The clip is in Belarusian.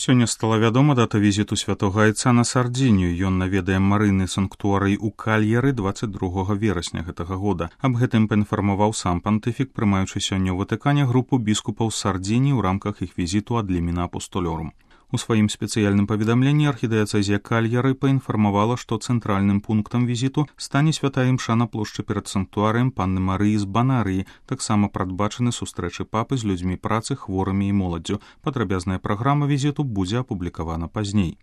Сёння стала вядома дата візіту святога айца на Сардзінію. Ён наведае марыны санктуарый у Кальяры 22 верасня гэтага года. Аб гэтым паінфармаваў сам пантыфік, прымаючы сёння ў Ватыкане групу біскупаў з Сардзініі ў рамках іх візіту ад Ліміна Апостолёрум. У сваім спецыяльным паведамленні архідыяцэзія Кальяры паінфармавала, што цэнтральным пунктам візіту стане святая імша на плошчы перад санктуарыем Панны Марыі з Банарыі. Таксама прадбачаны сустрэчы папы з людзьмі працы, хворымі і моладдзю. Падрабязная праграма візіту будзе апублікавана пазней.